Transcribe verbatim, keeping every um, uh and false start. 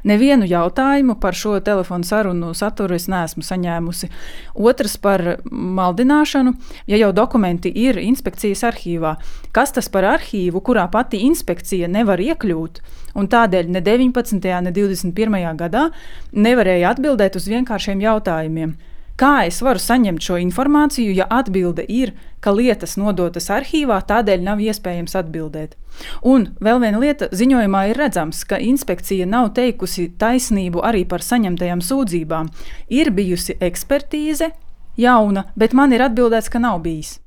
Nevienu jautājumu par šo telefonu sarunu saturu es neesmu saņēmusi. Otrs par maldināšanu, ja jau dokumenti ir inspekcijas arhīvā. Kas tas par arhīvu, kurā pati inspekcija nevar iekļūt, un tādēļ ne deviņpadsmitajā, ne divdesmit pirmajā gadā nevarēja atbildēt uz vienkāršiem jautājumiem. Kā es varu saņemt šo informāciju, ja atbilde ir, ka lietas nodotas arhīvā, tādēļ nav iespējams atbildēt? Un vēl viena lieta, ziņojumā ir redzams, ka inspekcija nav teikusi taisnību arī par saņemtajām sūdzībām. Ir bijusi ekspertīze, jauna, bet man ir atbildēts, ka nav bijis.